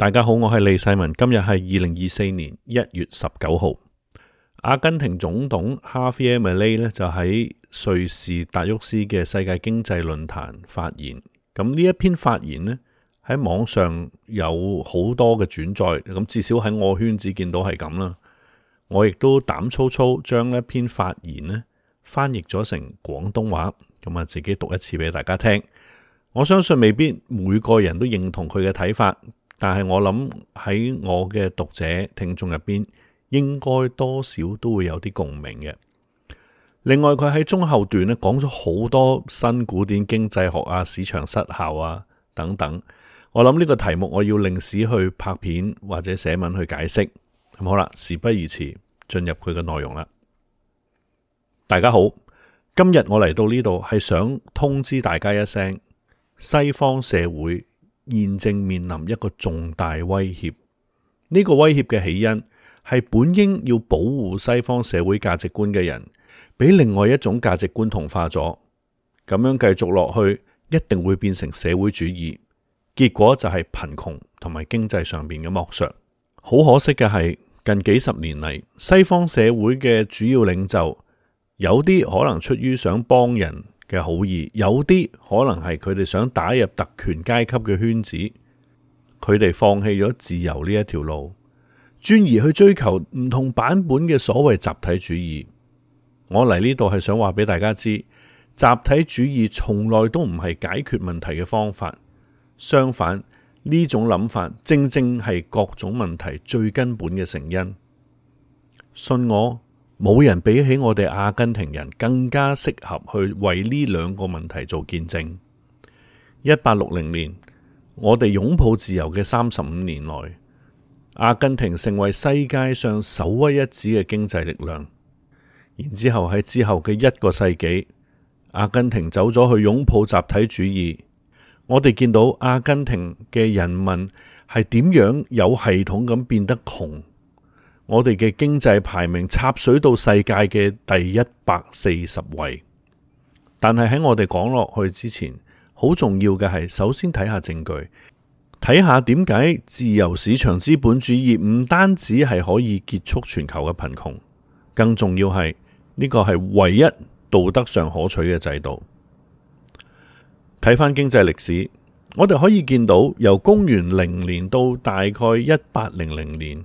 大家好，我係李世民。今日係2024年1月19號。阿根廷總統哈菲耶米利呢就喺瑞士達沃斯嘅世界經濟論壇發言。咁呢一篇發言呢喺網上有好多嘅轉載，咁至少喺我圈子見到係咁啦。我亦都膽粗粗將一篇發言呢翻譯咗成廣東話，咁啊自己讀一次俾大家聽。我相信未必每個人都認同佢嘅睇法。但係我諗喺我嘅讀者聽眾入邊，應該多少都會有啲共鳴嘅。另外佢喺中後段咧講咗好多新古典經濟學啊、市場失效啊等等。我諗呢個題目我要另史去拍片或者寫文去解釋。咁好啦，事不宜遲，進入佢嘅內容啦。大家好，今日我嚟到呢度係想通知大家一聲，西方社會現正面臨一個重大威脅，呢個威脅嘅起因係本應要保護西方社會價值觀嘅人，俾另外一種價值觀同化咗，咁樣繼續落去，一定會變成社會主義，結果就係貧窮同埋經濟上面嘅剝削。好可惜嘅係，近幾十年嚟，西方社會嘅主要領袖，有啲可能出於想幫人嘅好意，有啲可能係佢哋想打入特權階級嘅圈子，佢哋放棄咗自由呢一條路，轉而去追求唔同版本嘅所謂集體主義。我嚟呢度係想話俾大家知，集體主義從來都唔係解決問題嘅方法，相反，呢種諗法正正係各種問題最根本嘅成因。信我，冇人比起我哋阿根廷人更加適合去為呢兩個問題做見證。1860年，我哋擁抱自由嘅35年內，阿根廷成為世界上首屈一指嘅經濟力量。然之後喺之後嘅1個世紀，阿根廷走咗去擁抱集體主義。我哋見到阿根廷嘅人民係點樣有系統咁變得窮。我哋嘅經濟排名插水到世界嘅第140位，但係喺我哋講落去之前，好重要嘅係首先睇下證據，睇下點解自由市場資本主義唔單止係可以結束全球嘅貧窮，更重要係呢個係唯一道德上可取嘅制度。睇翻經濟歷史，我哋可以見到由公元0年到大概1800年。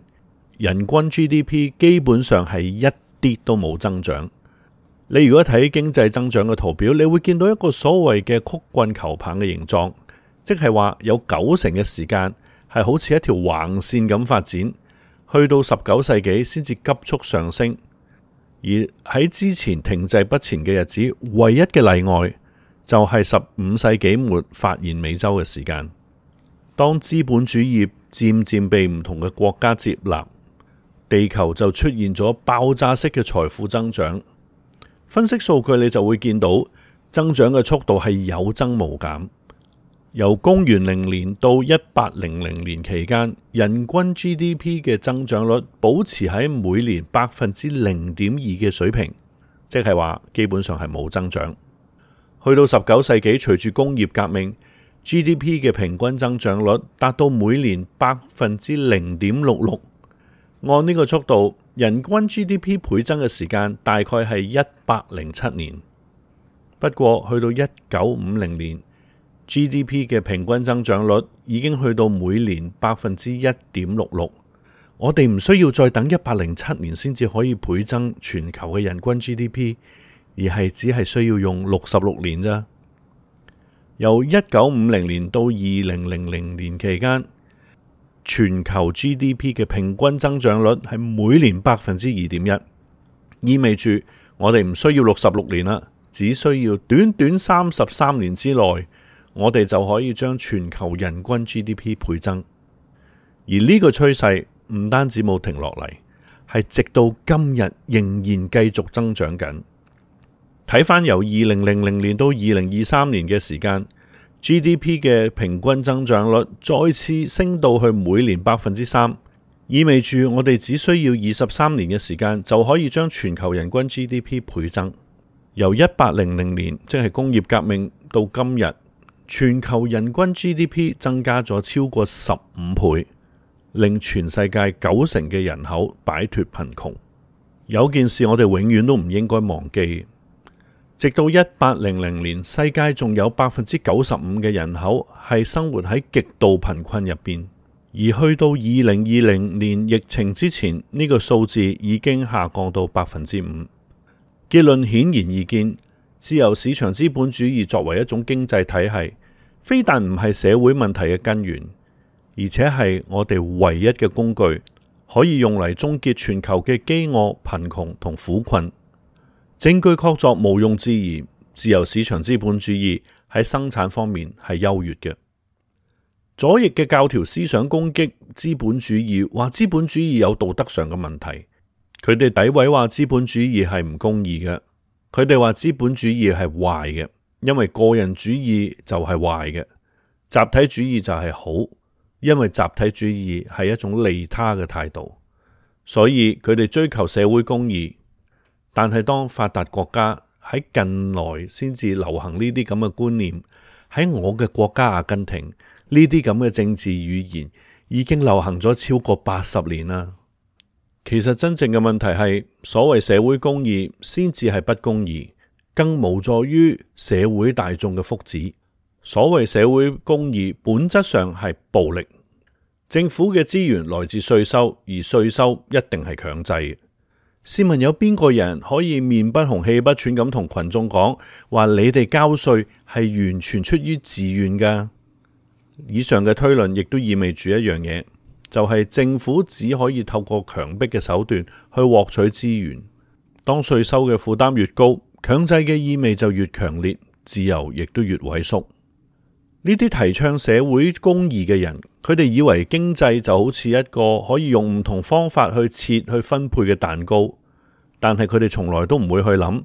人均 GDP 基本上係一啲都冇增長。你如果睇經濟增長嘅圖表，你會見到一個所謂嘅曲棍球棒嘅形狀，即係話有90%嘅時間係好似一條橫線咁發展，去到19世紀先至急速上升。而喺之前停滯不前嘅日子，唯一嘅例外就係15世紀末發現美洲嘅時間。當資本主義漸漸被唔同嘅國家接納，地球就出現咗爆炸式嘅財富增長。分析數據你就會見到增長嘅速度係有增無減。由公元0年到1800年期間，人均 GDP 嘅增長率保持喺每年0.2%嘅水平，即係話基本上係冇增長。去到19世紀，隨住工業革命， GDP 嘅平均增長率達到每年0.66%。按呢個速度，人均 GDP 倍增嘅時間大概係107年。不過去到1950年，GDP 嘅平均增長率已經去到每年1.66%。我哋唔需要再等107年先至可以倍增全球嘅人均 GDP， 而係只係需要用66年咋。由1950年到2000年期間，全球 GDP 嘅平均增長率係每年2.1%，意味住我哋唔需要66年啦，只需要短短33年之內，我哋就可以將全球人均 GDP 倍增。而呢個趨勢唔單止冇停落嚟，係直到今日仍然繼續增長緊。睇返由2000年到2023年嘅時間，GDP 嘅平均增長率再次升到去每年3%，意味住我哋只需要23年嘅時間就可以將全球人均 GDP 倍增。由1800年即係工業革命到今日，全球人均 GDP 增加咗超過15倍，令全世界90%嘅人口擺脫貧窮。有件事我哋永遠都唔應該忘記，直到1800年，世界仲有95%嘅人口係生活喺極度貧困入邊，而去到2020年疫情之前，呢個數字已經下降到5%。結論顯然易見，自由市場資本主義作為一種經濟體系，非但唔係社會問題嘅根源，而且係我哋唯一嘅工具，可以用嚟終結全球嘅飢餓、貧窮同苦困。證據確鑿，毋庸置疑，自由市場資本主義喺生產方面係優越嘅。左翼嘅教條思想攻擊資本主義，話資本主義有道德上嘅問題。佢哋詆毀話資本主義係唔公義嘅，佢哋話資本主義係壞嘅，因為個人主義就係壞嘅，集體主義就係好，因為集體主義係一種利他嘅態度，所以佢哋追求社會公義。但係當發達國家喺近來先至流行呢啲咁嘅觀念，喺我嘅國家阿根廷，呢啲咁嘅政治語言已經流行咗超過80年啦。其實真正嘅問題係，所謂社會公義先至係不公義，更無助於社會大眾嘅福祉。所謂社會公義本質上係暴力。政府嘅資源來自稅收，而稅收一定係強制嘅。試問有邊個人可以面不紅氣不喘咁同群眾講話，你哋交稅係完全出於自願㗎？以上嘅推論亦都意味住一樣嘢，就係政府只可以透過強迫嘅手段去獲取資源。當稅收嘅負擔越高，強制嘅意味就越強烈，自由亦都越萎縮。呢啲提倡社會公義嘅人，佢哋以為經濟就好似一個可以用唔同方法去切去分配嘅蛋糕，但係佢哋從來都唔會去諗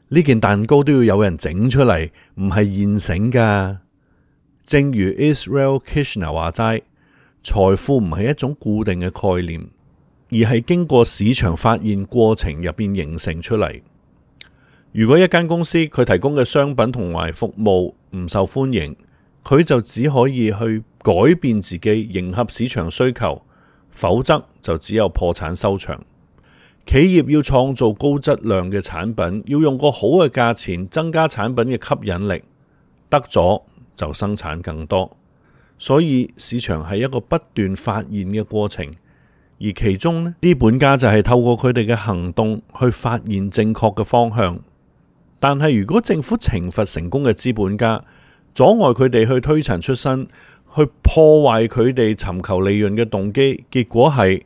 呢件蛋糕都要有人整出嚟，唔係現成噶。正如 Israel Kirzner 話齋，財富唔係一種固定嘅概念，而係經過市場發現過程入邊形成出嚟。如果一間公司佢提供嘅商品同埋服務唔受歡迎，佢就只可以去改變自己，迎合市場需求，否則就只有破產收場。企業要創造高質量嘅產品，要用個好嘅價錢增加產品嘅吸引力，得咗就生產更多。所以市場係一個不斷發現嘅過程，而其中呢，資本家就係透過佢哋嘅行動去發現正確嘅方向。但係如果政府懲罰成功嘅資本家，阻礙佢哋去推陳出新，去破壞佢哋尋求利潤嘅動機，結果係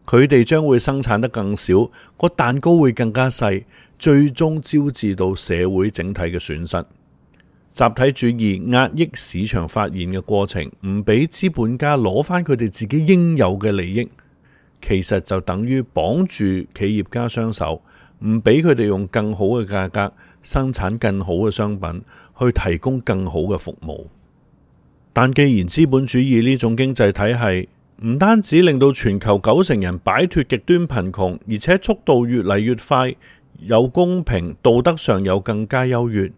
佢哋將會生產得更少，個蛋糕會更加細，最終招致到社會整體嘅損失。集體主義壓抑市場發現嘅過程，唔俾資本家攞返佢哋自己應有嘅利益，其實就等於綁住企業家雙手，唔俾佢哋用更好嘅價格生產更好嘅商品，去提供更好嘅服務。但既然資本主義呢種經濟體系唔單止令到全球90%人擺脫極端貧窮，而且速度越嚟越快，又公平，道德上又更加優越，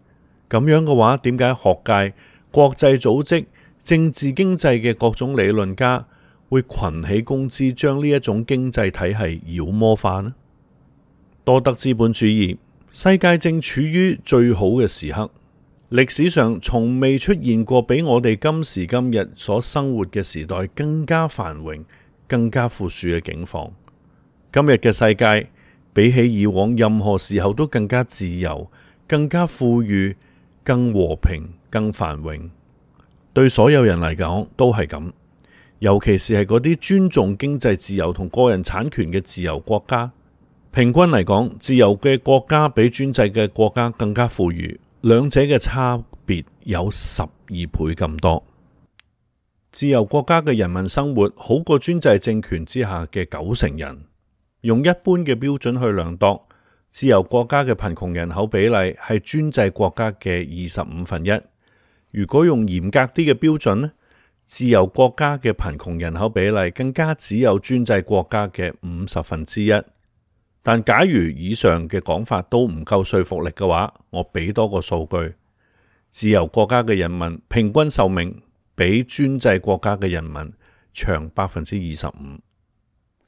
咁樣嘅話，點解學界、國際組織、政治經濟嘅各種理論家會群起攻之，將呢一種經濟體系妖魔化呢？多德資本主義，世界正處於最好嘅時刻。歷史上從未出現過比我哋今時今日所生活嘅時代更加繁榮、更加富庶嘅境況。今日嘅世界比起以往任何時候都更加自由、更加富裕、更和平、更繁榮。對所有人嚟講都係咁，尤其是係嗰啲尊重經濟自由同個人產權嘅自由國家。平均嚟講，自由嘅國家比專制嘅國家更加富裕。兩者嘅差別有12倍咁多。自由國家嘅人民生活好過專制政權之下嘅90%人。用一般嘅標準去量度，自由國家嘅貧窮人口比例係專制國家嘅1/25。如果用嚴格啲嘅標準呢，自由國家嘅貧窮人口比例更加只有專制國家嘅1/50。但假如以上嘅講法都唔夠說服力嘅話，我俾多個數據：自由國家嘅人民平均壽命比專制國家嘅人民長25%。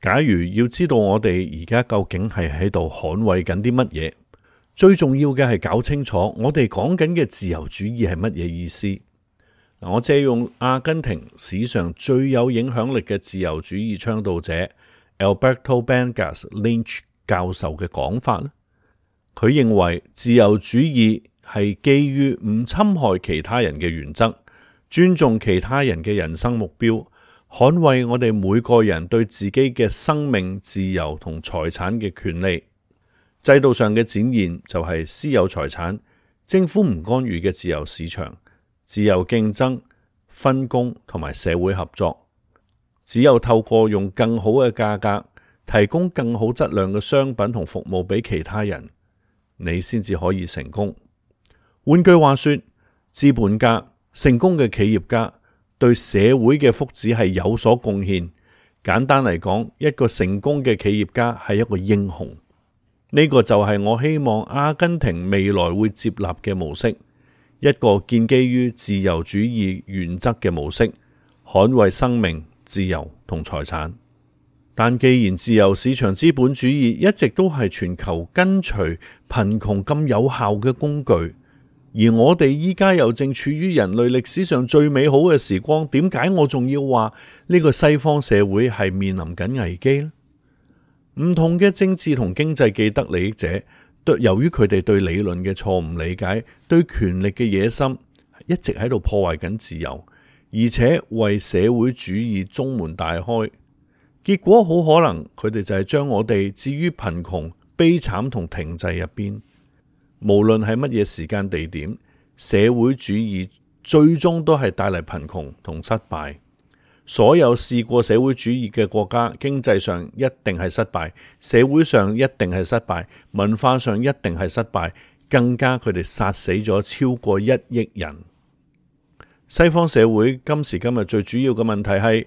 假如要知道我哋而家究竟係喺度捍衛緊啲乜嘢，最重要嘅係搞清楚我哋講緊嘅自由主義係乜嘢意思。我借用阿根廷史上最有影響力嘅自由主義倡導者 Alberto Bangas Lynch 教授嘅講法，佢認為自由主義係基於唔侵害其他人嘅原則，尊重其他人嘅人生目標，捍衛我哋每個人對自己嘅生命、自由同財產嘅權利。制度上嘅展現就係私有財產、政府唔干預嘅自由市場、自由競爭、分工同埋社會合作。只有透過用更好嘅價格提供更好質量嘅商品同服務俾其他人，你先至可以成功。換句話說，資本家、成功嘅企業家對社會嘅福祉係有所貢獻。簡單嚟講，一個成功嘅企業家係一個英雄。呢個就係我希望阿根廷未來會接納嘅模式，一個建基於自由主義原則嘅模式，捍衛生命、自由同財產。但既然自由市場資本主義一直都係全球根除貧窮咁有效嘅工具，而我哋依家又正處於人類歷史上最美好嘅時光，點解我仲要話呢個西方社會係面臨緊危機呢？唔同嘅政治同經濟既得利益者，由於佢哋對理論嘅錯誤理解，對權力嘅野心，一直喺度破壞緊自由，而且為社會主義中門大開。結果好可能佢哋就係將我哋置於貧窮、悲慘同停滯入邊。無論係乜嘢時間地點，社會主義最終都係帶嚟貧窮同失敗。所有試過社會主義嘅國家，經濟上一定係失敗，社會上一定係失敗，文化上一定係失敗，更加佢哋殺死咗超過1億人。西方社會今時今日最主要嘅問題係，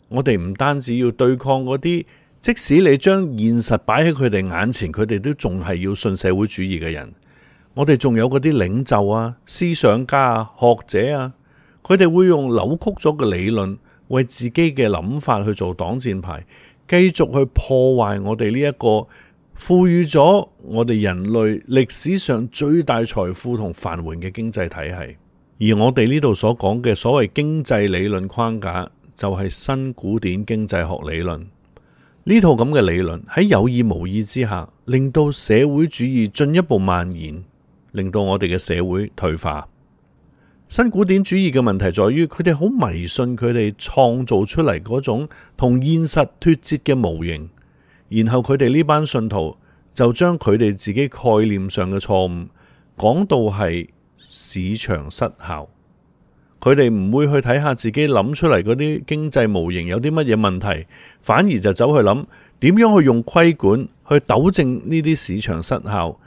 我哋唔單止要對抗嗰啲，即使你將現實擺喺佢哋眼前，佢哋都仲係要信社會主義嘅人。我哋仲有嗰啲領袖啊、思想家啊、學者啊，佢哋會用扭曲咗嘅理論，為自己嘅諗法去做擋箭牌，繼續去破壞我哋呢一個賦予咗我哋人類歷史上最大財富同繁榮嘅經濟體系。而我哋呢度所講嘅所謂經濟理論框架，就係新古典經濟學理論。呢套咁嘅理論喺有意無意之下，令到社會主義進一步蔓延，令到我哋嘅社會退化。新古典主義嘅問題在於，佢哋好迷信佢哋創造出嚟嗰種同現實脫節嘅模型，然後佢哋呢班信徒就將佢哋自己概念上嘅錯誤講到係市場失效。佢哋唔會去睇下自己諗出嚟嗰啲經濟模型有啲乜嘢問題，反而就走去諗點樣去用規管去糾正呢啲市場失效。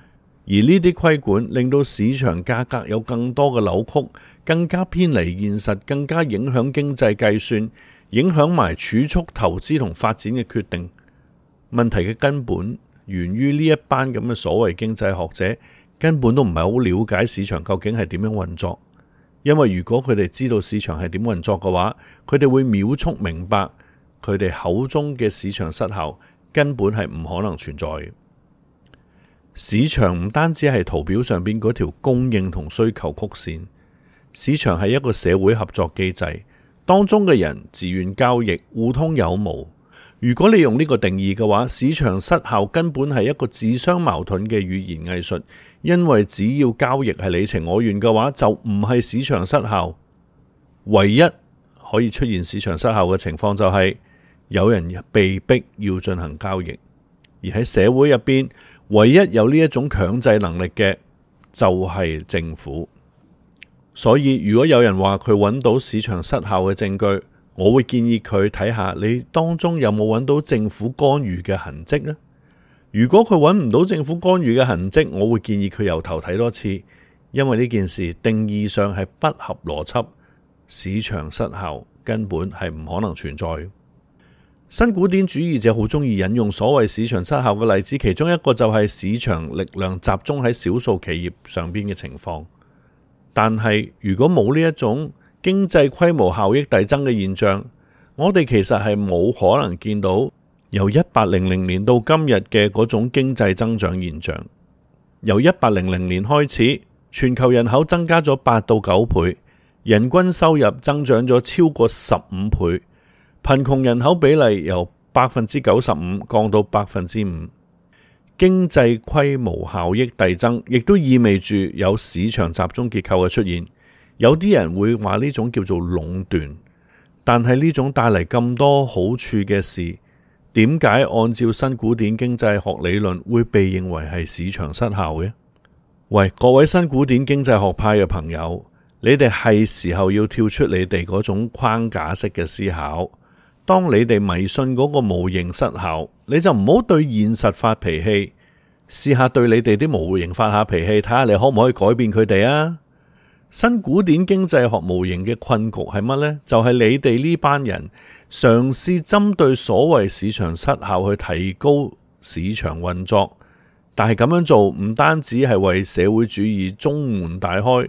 而呢啲規管令到市場價格有更多嘅扭曲，更加偏離現實，更加影響經濟計算，影響埋儲蓄、投資同發展嘅決定。問題嘅根本源於呢一班咁嘅所謂經濟學者根本都唔係好了解市場究竟係點樣運作。因為如果佢哋知道市場係點運作嘅話，佢哋會秒速明白佢哋口中嘅市場失效根本係唔可能存在嘅。市場唔單止係圖表上邊嗰條供應同需求曲線，市場係一個社會合作機制，當中嘅人自願交易，互通有無。如果你用呢個定義嘅話，市場失效根本係一個自相矛盾嘅語言藝術，因為只要交易係你情我願嘅話，就唔係市場失效。唯一可以出現市場失效嘅情況就係有人被逼要進行交易，而喺社會入邊，唯一有呢一種強制能力嘅就係政府。所以如果有人話佢揾到市場失效嘅證據，我會建議佢睇下你當中有冇揾到政府干預嘅痕跡呢？如果佢揾唔到政府干預嘅痕跡，我會建議佢由頭睇多次，因為呢件事定義上係不合邏輯，市場失效根本係唔可能存在。新古典主義者好中意引用所謂市場失效嘅例子，其中一個就係市場力量集中喺少數企業上邊嘅情況。但係如果冇呢一種經濟規模效益遞增嘅現象，我哋其實係冇可能見到由1800年到今日嘅嗰種經濟增長現象。由1800年開始，全球人口增加咗8到9倍，人均收入增長咗超過15倍，貧窮人口比例由95%降到5%。經濟規模效益遞增，亦都意味住有市場集中結構嘅出現。有啲人會話呢種叫做壟斷，但係呢種帶嚟咁多好處嘅事，點解按照新古典經濟學理論會被認為係市場失效嘅？喂，各位新古典經濟學派嘅朋友，你哋係時候要跳出你哋嗰種框架式嘅思考。當你哋迷信嗰個模型失效，你就唔好對現實發脾氣，試下對你哋啲模型發下脾氣，睇下你可唔可以改變佢哋啊？新古典經濟學模型嘅困局係乜呢？就係你哋呢班人嘗試針對所謂市場失效去提高市場運作，但係咁樣做唔單止係為社會主義中門大開，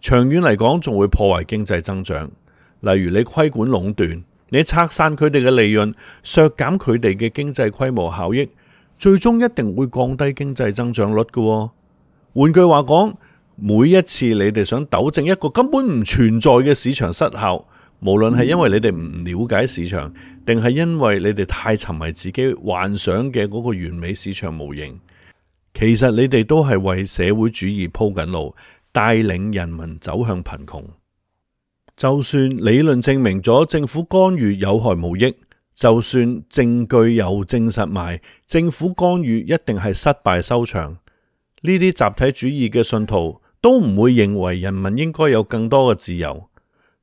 長遠嚟講仲會破壞經濟增長。例如你規管壟斷，你拆散佢哋嘅利潤，削減佢哋嘅經濟規模效益，最終一定會降低經濟增長率嘅。換句話講，每一次你哋想糾正一個根本唔存在嘅市場失效，無論係因為你哋唔了解市場，定係因為你哋太沉迷自己幻想嘅嗰個完美市場模型，其實你哋都係為社會主義鋪緊路，帶領人民走向貧窮。就算理論證明咗政府干預有害無益，就算證據又證實埋政府干預一定係失敗收場，呢啲集體主義嘅信徒都唔會認為人民應該有更多嘅自由。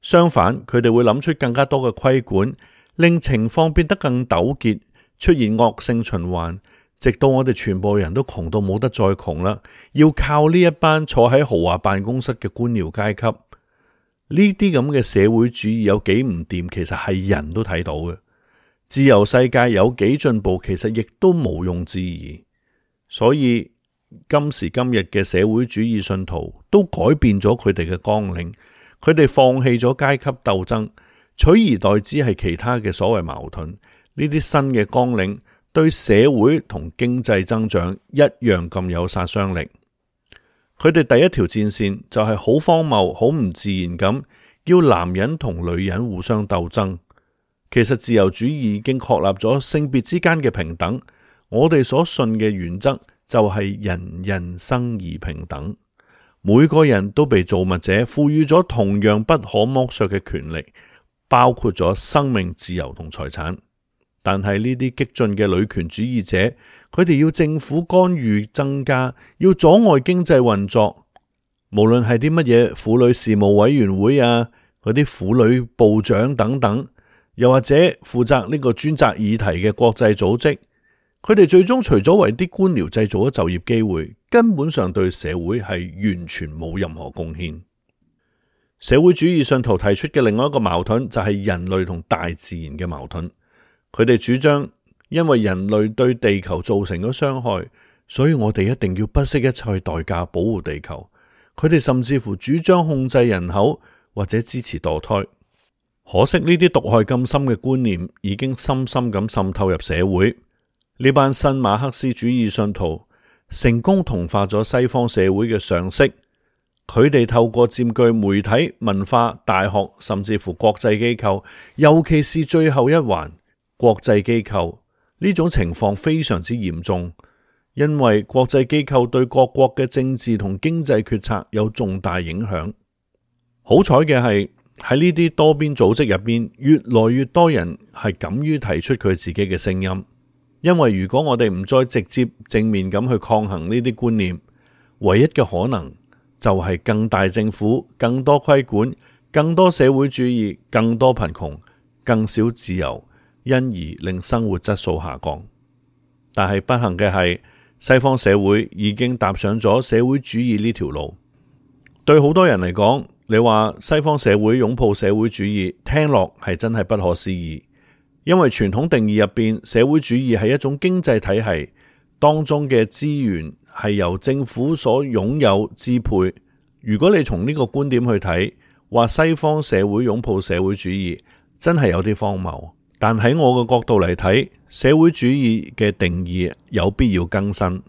相反，佢哋會諗出更加多嘅規管，令情況變得更糾結，出現惡性循環，直到我哋全部人都窮到冇得再窮啦，要靠呢一班坐喺豪華辦公室嘅官僚階級。呢啲咁嘅社會主義有幾唔掂，其實係人都睇到嘅。自由世界有幾進步，其實亦都毋庸置疑。所以今時今日嘅社會主義信徒都改變咗佢哋嘅綱領，佢哋放棄咗階級鬥爭，取而代之係其他嘅所謂矛盾。呢啲新嘅綱領對社會同經濟增長一樣咁有殺傷力。佢哋第一條戰線就係好荒謬、好唔自然咁，要男人同女人互相鬥爭。其實自由主義已經確立咗性別之間嘅平等，我哋所信嘅原則就係人人生而平等，每個人都被造物者賦予咗同樣不可剝削嘅權力，包括咗生命、自由同財產。但係呢啲激進嘅女權主義者，佢哋要政府干預增加，要阻礙經濟運作。無論係啲乜嘢婦女事務委員會啊，嗰啲婦女部長等等，又或者負責呢個專責議題嘅國際組織，佢哋最終除咗為啲官僚製造咗就業機會，根本上對社會係完全冇任何貢獻。社會主義信徒提出嘅另外一個矛盾就係人類同大自然嘅矛盾。佢哋主張，因為人類對地球造成咗傷害，所以我哋一定要不惜一切代價保護地球。佢哋甚至乎主張控制人口或者支持墮胎。可惜呢啲毒害咁深嘅觀念已經深深咁滲透入社會。呢班新馬克思主義信徒成功同化咗西方社會嘅常識。佢哋透過佔據媒體、文化、大學，甚至乎國際機構，尤其是最後一環，國際機構，呢種情況非常之嚴重，因為國際機構對各國嘅政治同經濟決策有重大影響。好彩嘅係喺呢啲多邊組織入邊，越來越多人係敢於提出佢自己嘅聲音。因為如果我哋唔再直接正面咁去抗衡呢啲觀念，唯一嘅可能就係更大政府、更多規管、更多社會主義、更多貧窮、更少自由，因而令生活質素下降。但係不幸嘅係，西方社會已經踏上咗社會主義呢條路。對好多人嚟講，你話西方社會擁抱社會主義，聽落係真係不可思議。因為傳統定義入邊，社會主義係一種經濟體系，當中嘅資源係由政府所擁有支配。如果你從呢個觀點去睇，話西方社會擁抱社會主義，真係有啲荒謬。但喺我嘅角度嚟睇，社會主義嘅定義有必要更新，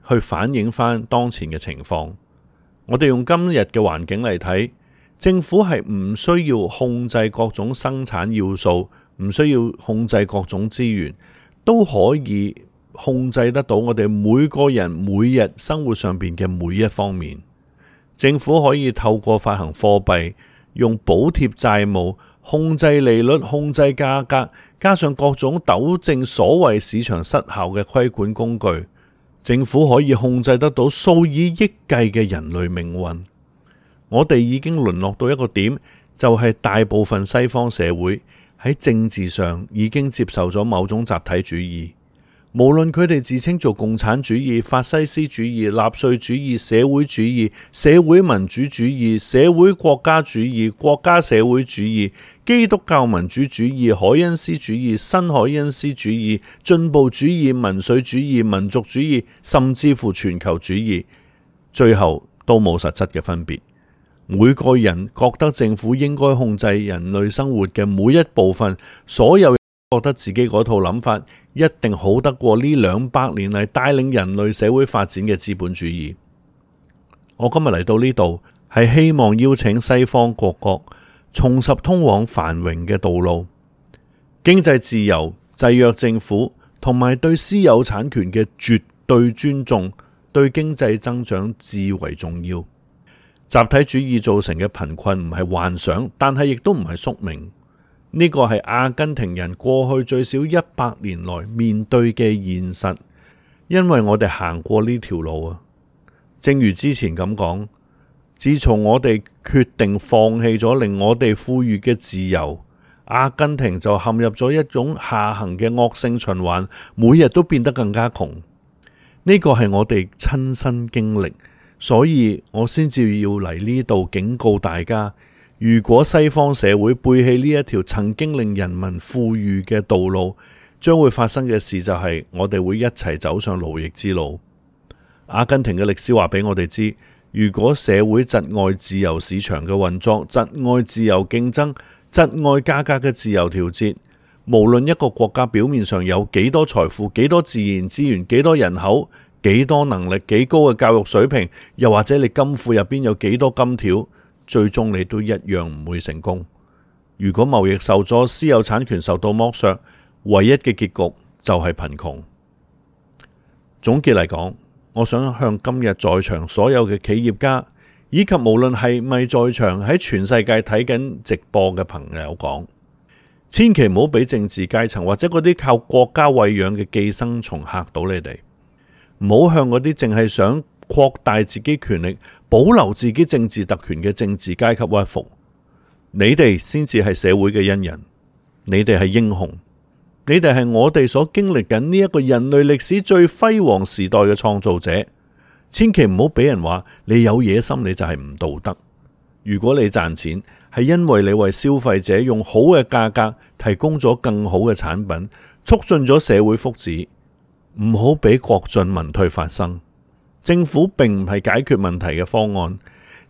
去反映翻當前嘅情況。我哋用今日嘅環境嚟睇，政府係唔需要控制各種生產要素，唔需要控制各種資源，都可以控制得到我哋每個人每日生活上邊嘅每一方面。政府可以透過發行貨幣，用補貼債務，控制利率，控制價格，加上各種糾正所謂市場失效嘅規管工具，政府可以控制得到數以億計嘅人類命運。我哋已經淪落到一個點，就係大部分西方社會喺政治上已經接受咗某種集體主義，無論佢哋自稱做共產主義、法西斯主義、納粹主義、社會主義、社會民主主義、社會國家主義、國家社會主義、基督教民主主義、凱恩斯主義、新凱恩斯主義、進步主義、民粹主義、民族主義，甚至乎全球主義，最後都冇實質嘅分別。每個人覺得政府應該控制人類生活嘅每一部分，所有人覺得自己嗰套諗法一定好得過呢200年嚟帶領人類社會發展嘅資本主義。我今日嚟到呢度，係希望邀請西方各國重拾通往繁榮嘅道路，經濟自由、制約政府同埋對私有產權嘅絕對尊重，對經濟增長至為重要。集體主義造成嘅貧困唔係幻想，但係亦都唔係宿命。呢個係阿根廷人過去最少100年來面對嘅現實，因為我哋行過呢條路啊。正如之前咁講，自從我哋決定放棄咗令我哋富裕嘅自由，阿根廷就陷入咗一種下行嘅惡性循環，每日都變得更加窮。呢個係我哋親身經歷。所以我先至要嚟呢度警告大家，如果西方社會背棄呢一條曾經令人民富裕嘅道路，將會發生嘅事就係我哋會一齊走上奴役之路。阿根廷嘅歷史話俾我哋知，如果社會窒礙自由市場嘅運作，窒礙自由競爭，窒礙價格嘅自由調節，無論一個國家表面上有幾多財富、幾多自然資源、幾多人口、幾多能力、幾高嘅教育水平，又或者你金庫入邊有幾多金條，最終你都一樣唔會成功。如果貿易受阻，私有產權受到剝削，唯一嘅結局就係貧窮。總結嚟講，我想向今日在場所有嘅企業家，以及無論係咪在場喺全世界睇緊直播嘅朋友講，千祈唔好俾政治階層或者嗰啲靠國家餵養嘅寄生蟲嚇到你哋。唔好向嗰啲淨係想擴大自己權力、保留自己政治特權嘅政治階級屈服。你哋先至係社會嘅恩人，你哋係英雄，你哋係我哋所經歷緊呢一個人類歷史最輝煌時代嘅創造者。千祈唔好俾人話你有野心，你就係唔道德。如果你賺錢係因為你為消費者用好嘅價格提供咗更好嘅產品，促進咗社會福祉，唔好俾國進民退發生。政府並唔係解決問題嘅方案，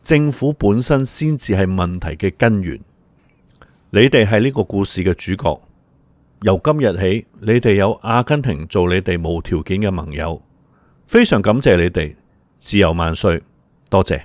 政府本身先至係問題嘅根源。你哋係呢個故事嘅主角。由今日起，你哋有阿根廷做你哋無條件嘅盟友，非常感謝你哋。自由萬歲，多謝。